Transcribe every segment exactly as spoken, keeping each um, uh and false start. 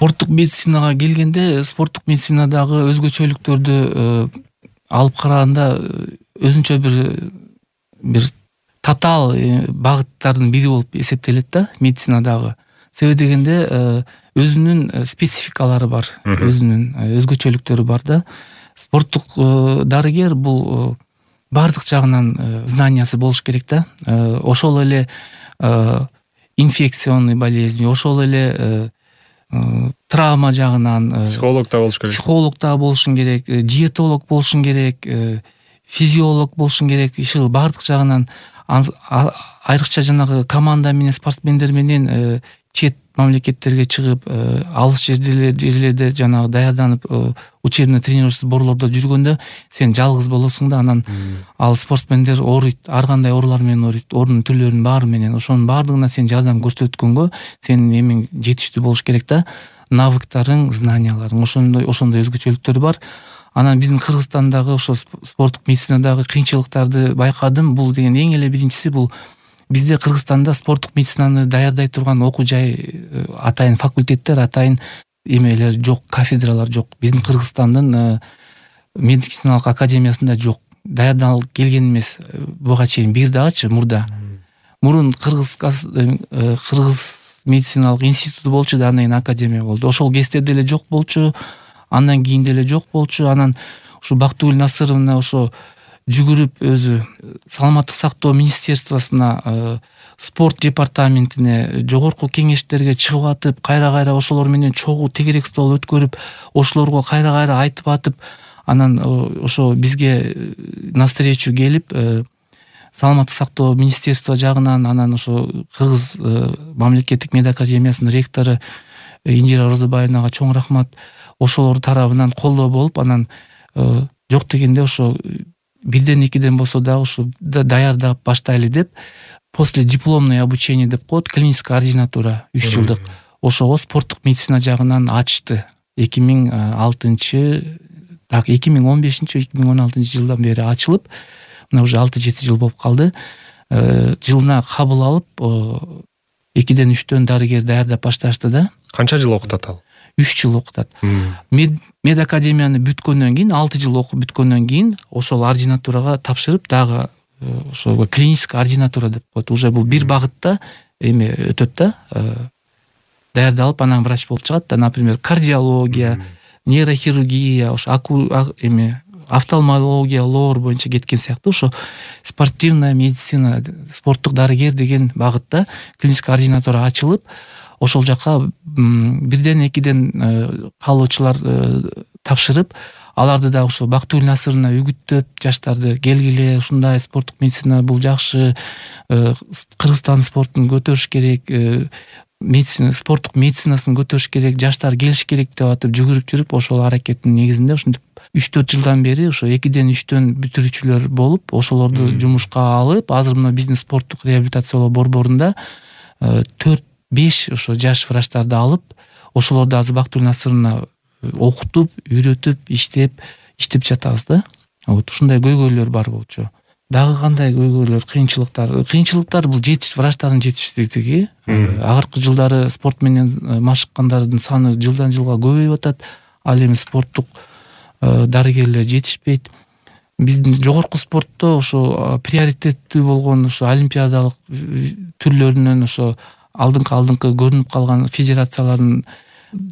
Спорттук медицинага келгенде, спорттук медицинадагы өзгөчөлүктөрдү алып караганда өзүнчө бир бир татаал багыттардын бири болуп эсептелет да медицинадагы. Себеби дегенде өзүнүн спецификалары бар, өзүнүн өзгөчөлүктөрү бар да. Спорттук дарыгер бул бардык жагынан знаниясы болуш керек да. Ошол эле инфекционный болезнь, ошол эле травма жагынан психолог да болуш керек. Психолог да болушуң керек, диетолог болушуң керек, физиолог болушуң керек. Иши бардык жагынан айрыкча жанагы команда менен, спортсмендер менен чет мамлекеттерге чыгып, алыс жерлерде жанагы даярданып, учебный тренировочный сборлордо жүргөндө сен жалгыз болосуң да, анан ал спортсмендер ооруйт, ар кандай оорулар менен ооруйт, оорунун түрлөрүнүн баары менен. Ошонун баардыгына сен жардам көрсөткөнгө сенин эмең жетиштүү болуш керек да. Навыктарың, знанияларың, ошондой ошондой өзгөчөлүктөр бар. Анан биздин Кыргызстандагы ошо спорттук медицинадагы кыйынчылыктарды байкадым. Бул деген эң эле биринчиси бул бизде Кыргызстанда спорттук медицинаны даярдай турган окуу жай, атайын факультеттер, атайын эмелер жок, кафедралар жок. Биздин Кыргызстандын медициналык академиясында жок. Даярдалып келген эмес буга чейин бир дагычы мурда. Мурун Кыргыз Кыргыз медициналык институту болчу да, андан кийин академия болду. Ошол кезде деле жок болчу, андан кийин деле жок болчу. Анан ушу Бактыгүл Насыровна ошо жүгүрүп өзү саламаттык сактоо министерствосуна, спорт департаментине, жогорку кеңештерге чыгып атып, кайра-кайра ошолор менен чогуу тегерек стол өткөрүп, ошолорго кайра-кайра айтып атып, анан ошо бизге навстречу келип, саламаттык сактоо министерство жагынан, анан ошо Кыргыз мамлекеттик мед академиясынын ректору Инжира Розобаевнага чоң рахмат. Ошолор тарабынан колдоо болуп, анан жок дегенде ошо бирден экиден болсо дагы ушу даярдап баштайлы деп, после дипломное обучение деп коет, клиническая ординатура үч жылдык. Ошого спорттук медицина жагынан ачты. эки миң алтынчы, так эки миң он бешинчи эки миң он алтынчы жылдан бери ачылып, мына уже алты жети жыл болуп калды. Жылына кабыл алып, экиден үчтөн дарыгер даярдап башташты да. Канча жыл окутат ал? үч жыл окутат. Мед академияны бүткөндөн кийин, алты жыл окуп бүткөндөн кийин ошол ординатурага тапшырып, дагы ошо клиническая ординатура деп коет. Уже бул бир багытта эме өтөт да, даярдалып, анан врач болуп чыгат да. Например, кардиология, нейрохирургия, ошо эме офтальмология, лор боюнча кеткен сыяктуу ошо спортивная медицина, спорттук дарыгер деген багытта клиническая ординатура ачылып, ошол жака бирден экиден калуучулар тапшырып, аларды да ошо Бактыгүл Насыровна үгүттөп, жаштарды келгиле, ушундай спорттук медицина бул жакшы, Кыргызстан спортун көтөрүш керек, медицина, спорттук медицинасын көтөрүш керек, жаштар келиш керек деп атып жүгүрүп жүрүп, ошол аракеттин негизинде ушинтип үч төрт жылдан бери ошо экиден үчтөн бүтүрүүчүлөр болуп, ошолорду жумушка алып, азыр мына биздин спорттук реабилитациялоо борборунда төрт беш ошо жаш врачтарды алып, ошолорду азыр Бактыгүл Насыровна окутуп, үйрөтүп, иштеп, иштеп жатабыз да. Вот ушундай көйгөйлөр бар болчу. Дагы кандай көйгөйлөр, кыйынчылыктар? Кыйынчылыктар бул жетиш врачтардын жетишсиздиги. Акыркы жылдары спорт менен машыккандардын саны жылдан жылга көбөйүп атат. Ал эми спорттук дарыгерлер жетишпейт. Биздин жогорку спортто ошо приоритеттүү болгон ошо олимпиадалык түрлөрүнөн ошо алдыңкы алдыңкы көрүнүп калган федерациялардын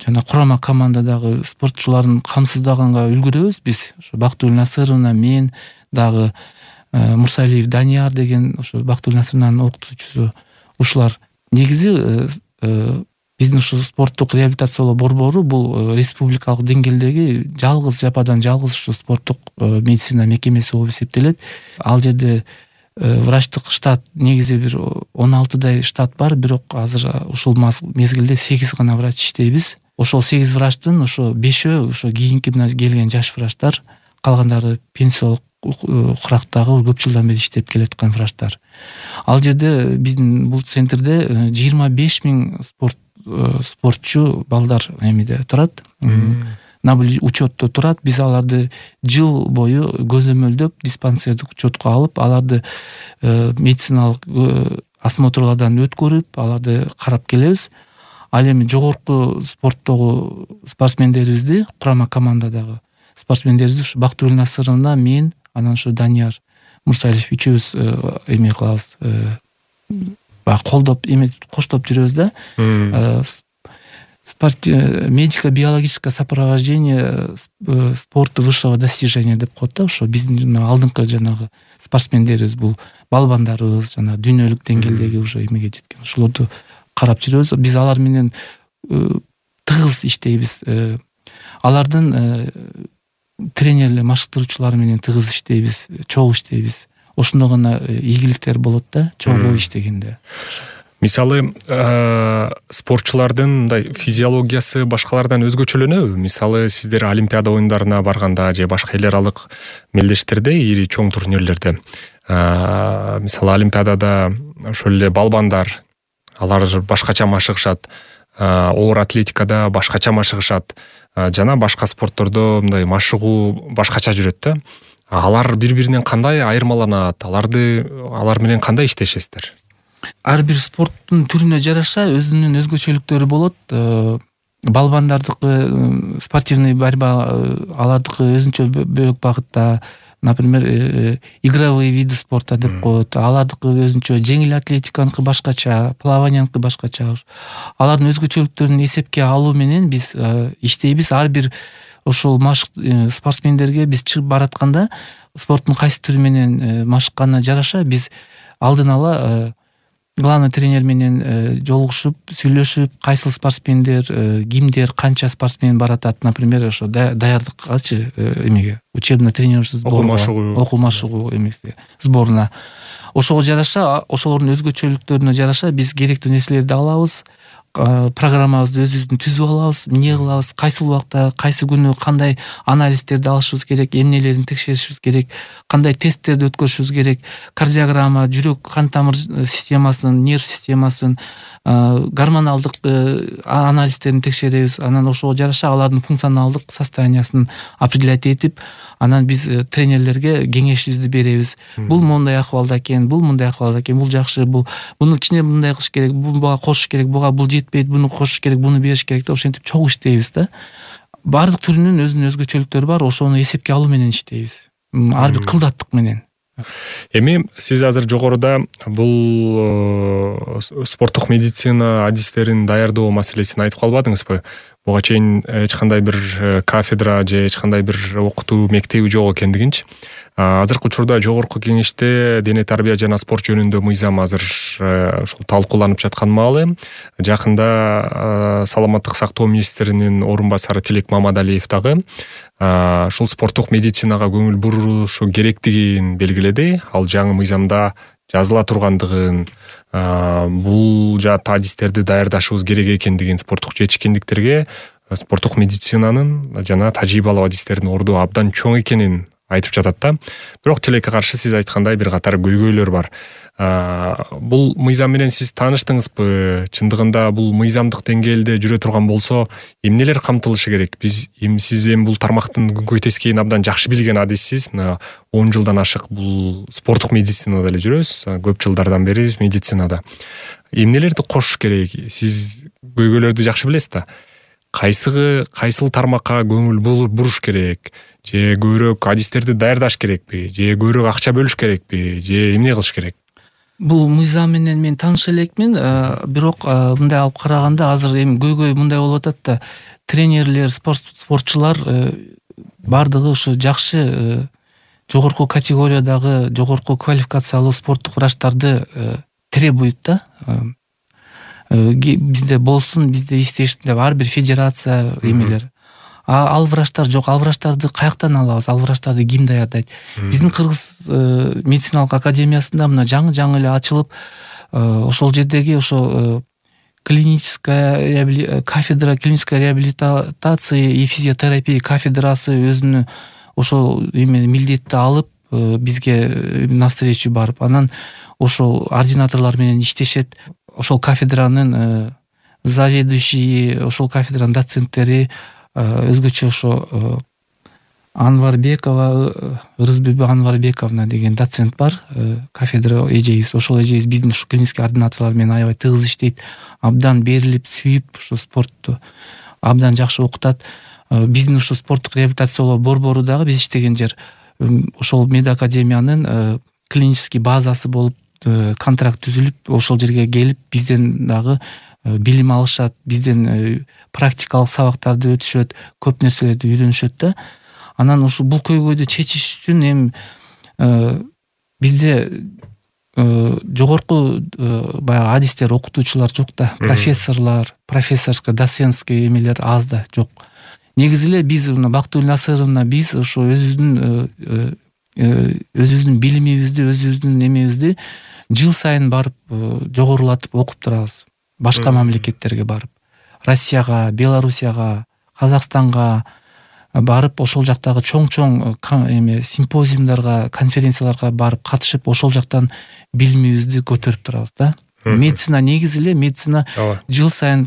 жана курама командадагы спортчуларын камсыздаганга үлгүрөбүз биз. Ошо Бактыгүл Насыровна, мен, дагы Мурсалиев Данияр деген ошо Бактыгүл Насыровнанын окутуучусу. Ушулар негизи биздин ушу спорттук реабилитациялоо борбору бул республикалык деңгээлдеги жалгыз жападан жалгыз ушу спорттук медицина мекемеси болуп эсептелет. Ал жерде врачтык штат негизи бир он алтыдай штат бар, бирок азыр ушул мезгилде сегиз гана врач иштейбиз. Ошол сегиз врачтын ошо бешөө ошо кийинки мына келген жаш врачтар, калгандары пенсиялык курактагы көп жылдан бери иштеп келаткан врачтар. Ал жерде биздин бул центрде жыйырма беш миң спорт спортчу балдар эмеде турат. На учетто турат. Биз аларды жыл бою көзөмөлдөп, диспансердик учетко алып, аларды медициналык осмотрлардан өткөрүп, аларды карап келебиз. Ал эми жогорку спорттогу спортсмендерибизди, курама командадагы спортсмендерибизди ушу Бактыгүл Насыровна, мен, анан ушу Данияр Мурсалиев үчөөбүз эме кылабыз, баягы колдоп эме коштоп жүрөбүз да. Медико-биологическое сопровождение спорта высшего достижения деп коет да. Ошо биздин алдыңкы жанагы спортсмендерибиз, бул балбандарыбыз, жана дүйнөлүк деңгээлдеги уже эмеге жеткен, ошолорду карап жүрөбүз. Биз алар менен тыгыз иштейбиз. Алардын тренерлер, машыктыруучулары менен тыгыз иштейбиз, чогуу иштейбиз. Ошондо гана ийгиликтер болот да, чогуу иштегенде. Мисалы, спортчулардын мындай физиологиясы башкалардан өзгөчөлөнөбү? Мисалы, сиздер Олимпиада оюндарына барганда же башка эл аралык мелдештерде, ири чоң турнирлерде, мисалы Олимпиадада ошол эле балбандар, алар башкача машыгышат, оор атлетикада башкача машыгышат, жана башка спорттордо мындай машыгуу башкача жүрөт да. Алар бири-биринен кандай айырмаланат? Аларды алар менен кандай иштешесиздер? Ар бир спорттун түрүнө жараша өзүнүн өзгөчөлүктөрү болот. Балбандардыкы спортивный борьба, алардыкы өзүнчө бөлөк багытта, например, игровые виды спорта деп коет. Алардыкы өзүнчө, жеңил атлетиканыкы башкача, плаванияныкы башкача. Алардын өзгөчөлүктөрүн эсепке алуу менен биз иштейбиз. Ар бир ошол машык спортсмендерге биз чыгып баратканда спорттун кайсы түрү менен машыкканына жараша биз алдын ала главный тренер менен жолугушуп, сүйлөшүп, кайсыл спортсмендер, кимдер, канча спортсмен баратат, например, ошо даярдыкчы эмеге, учебно-тренировочный сборго, окуу машыгуу эмеси сборуна. Ошого жараша, ошолордун өзгөчөлүктөрүнө жараша биз керектүү нерселерди алабыз, программабызды өзүбүздүн түзүп алабыз, эмне кылабыз, кайсыл убакта, кайсы күнү кандай анализдерди алышыбыз керек, эмнелерин текшеришибиз керек, кандай тесттерди өткөрүшүбүз керек, кардиограмма, жүрөк кан тамыр системасын, нерв системасын, гормоналдык анализдерин текшеребиз. Анан ошого жараша алардын функционалдык состояниясын определять этип, анан биз тренерлерге кеңешибизди беребиз. Бул мондай акыбалда экен, бул мындай акыбалда экен, бул жакшы, бул муну кичине мындай кылыш керек, буга кошуш керек, буга бул жетпейт, буну кошуш керек, буну бериш керек деп ошентип чогуу иштейбиз да. Бардык түрүнүн өзүнүн өзгөчөлүктөрү бар, ошону эсепке алуу менен иштейбиз. Ар бир кылдаттык менен. Эми сиз азыр жогоруда бул спорттук медицина адистерин даярдоо маселесин айтып калбадыңызбы? Буга чейин эч кандай бир кафедра же эч кандай бир окутуу мектеби жок экендигинчи. Азыркы учурда жогорку кеңеште дене тарбия жана спорт жөнүндө мыйзам азыр ушул талкууланып жаткан маалы. Жакында саламаттык сактоо министринин орун басары Тилек Мамадалиев дагы ушул спорттук медицинага көңүл бурушу керектигин белгиледи. Ал жаңы мыйзамда жазыла тургандыгын, бул жаат адистерди даярдашыбыз керек экендигин, спорттук жетишкендиктерге спорттук медицинанын жана тажрыйбалуу адистердин орду абдан чоң экенин айтып жатат да. Бирок тилекке каршы сиз айткандай бир катар көйгөйлөр бар. Бул мыйзам менен сиз тааныштыңызбы? Чындыгында бул мыйзамдык деңгээлде жүрө турган болсо, эмнелер камтылышы керек? Биз эми сиз эми бул тармактын күнгөй тескейин абдан жакшы билген адиссиз. Мына он жылдан ашык бул спорттук медицинада эле жүрөсүз. Көп жылдардан бери медицинада. Эмнелерди кошуш керек? Сиз көйгөйлөрдү жакшы билесиз да. Кайсыгы, кайсыл тармакка көңүл буруш керек? Же көбүрөөк адистерди даярдаш керекпи? Же көбүрөөк акча бөлүш керекпи? Же эмне кылыш керек? Бул мыйзам менен мен тааныш элекмин, бирок мындай алып караганда азыр эми көйгөй мындай болуп атат да. Тренерлер, спортчулар бардыгы ушу жакшы жогорку категориядагы, жогорку квалификациялуу спорттук врачтарды требует да. Бизде болсун, бизде иштешин деп ар бир федерация эмелер. А ал врачтар жок, ал врачтарды каяктан алабыз? Ал врачтарды ким даярдайт? Биздин Кыргыз медициналык академиясында мына жаңы-жаңы эле ачылып, ошол жердеги ошо клиническая кафедра клинической реабилитации и физиотерапии кафедрасы өзүнүн ошол эме милдетти алып бизге навстречу барып, анан ошол ординаторлор менен иштешет. Ошол кафедранын заведующий, ошол кафедранын доценттери, өзгөчө ошо Анварбекова, Ырысбүбү Анварбековна деген доцент бар, кафедра эжебиз. Ошол эжебиз биздин ушу клинический ординаторлор менен аябай тыгыз иштейт. Абдан берилип, сүйүп ушу спортту абдан жакшы окутат. Биздин ушу спорттук реабилитациялоо борбору дагы биз иштеген жер ошол медакадемиянын клинический базасы болуп контракт түзүлүп, ошол жерге келип бизден дагы билим алышат, бизден практикалык сабактарды өтүшөт, көп нерселерди үйрөнүшөт да. Анан ушу бул көйгөйдү чечиш үчүн эми бизде жогорку баягы адистер, окутуучулар жок да, профессорлор, профессорско доцентский эмелер аз да жок. Негизи эле биз Бактыгүл Насыровна биз ошо өзүбүздүн өзүбүздүн билимибизди, өзүбүздүн эмебизди жыл сайын барып жогорулатып окуп турабыз. Башка мамлекеттерге барып, Россияга, Белоруссияга, Казакстанга барып, ошол жактагы чоң-чоң эме симпозиумдарга, конференцияларга барып катышып, ошол жактан билимибизди көтөрүп турабыз да. Медицина негизи эле медицина жыл сайын,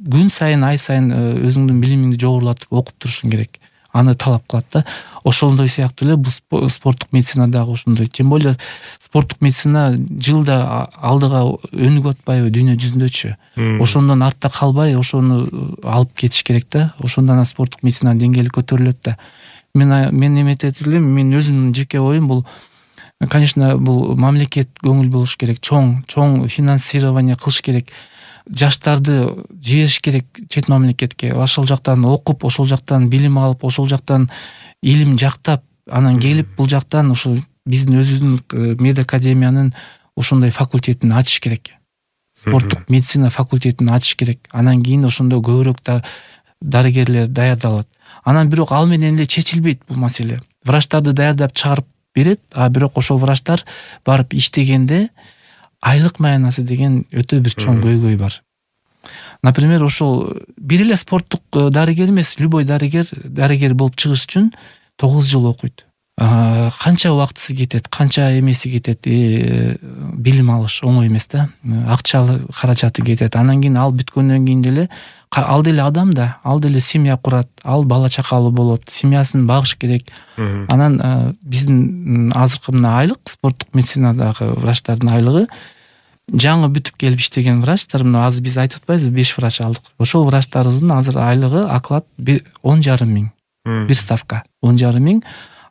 күн сайын, ай сайын өзүңдүн билимиңди жогорулатып окуп турушуң керек. Аны талап кылат да. Ошондой сыяктуу эле бул спорттук медицина дагы ошондой. Тем более спорттук медицина жылда алдыга өнүгүп атпайбы дүйнө жүзүндөчү. Ошондон артта калбай, ошону алып кетиш керек да. Ошондон спорттук медицинанын деңгээли көтөрүлөт да. Мен мен эметет элем, мен өзүмдүн жеке оюм бул, конечно, бул мамлекет көңүл болуш керек, чоң, чоң финансирование кылыш керек. Жаштарды жибериш керек чет мамлекетке. Ошол жактан окуп, ошол жактан билим алып, ошол жактан илим жактап, анан келип бул жактан ушу биздин өзүбүздүн медакадемиянын ошондой факультетин ачыш керек. Спорттук медицина факультетин ачыш керек. Анан кийин ошондо көбүрөөк да дарыгерлер даярдалат. Анан бирок ал менен эле чечилбейт бул маселе. Врачтарды даярдап чыгарып берет, а бирок ошол врачтар барып иштегенде айлык маянасы деген өтө бир чоң көйгөй бар. Например, ошол бир эле спорттук дарыгер эмес, любой дарыгер, дарыгер болуп чыгыш үчүн тогуз жыл окуйт. Канча убактысы кетет, канча эмеси кетет, билим алыш оңой эмес да. Акчалык каражаты кетет. Анан кийин ал бүткөндөн кийин деле ал деле адам да, ал деле семья курат, ал бала чакалуу болот, семьясын багыш керек. Анан биздин азыркы мына айлык, спорттук медицинадагы врачтардын айлыгы жаңы бүтүп келип иштеген врачтар, мына азыр биз айтып атпайбызбы, беш врач алдык. Ошол врачтарыбыздын азыр айлыгы оклад он жарым миң. Бир ставка он жарым миң.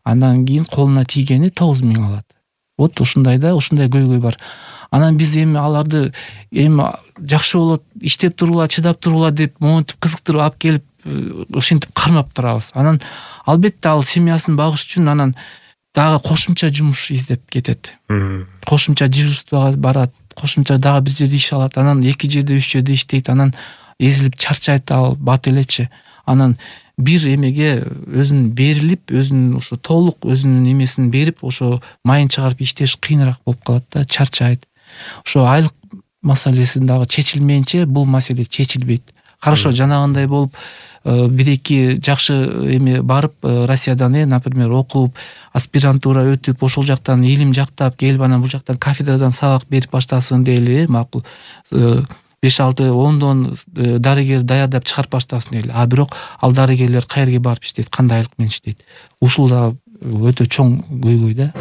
Андан кийин колуна тийгени тогуз миң алат. Вот ушундай да, ушундай көйгөй бар. Анан биз эми аларды эми жакшы болот, иштеп турула, чыдап турула деп монтип кызыктырып алып келип ушинтип кармап турабыз. Анан албетте ал семьясын багыш үчүн анан дагы кошумча жумуш издеп кетет. Кошумча дежурствага барат, кошумча дагы бир жерде иш алат, анан эки жерде, үч жерде иштейт, анан эзилип чарчайт, ал бат элечи. Анан бир эмеге өзүн берилип, өзүн ошо толук өзүнүн эмесин берип, ошо майын чыгарып иштеш кыйыныраак болуп калат да, чарчайт. Ошо айлык маселесин дагы чечилмейинче бул маселе чечилбейт. Хорошо, жанагындай болуп бир-эки жакшы эме барып Россиядан, э, например, окуп, аспирантура өтүп, ошол жактан илим жактап келип, анан бул жактан кафедрадан сабак берип баштасын дейли, макул. беш алты ондон дарыгер даярдап чыгарып баштасын дейли. А бирок ал дарыгерлер каерге барып иштейт, кандай айлык менен иштейт? Ушул да өтө чоң көйгөй да.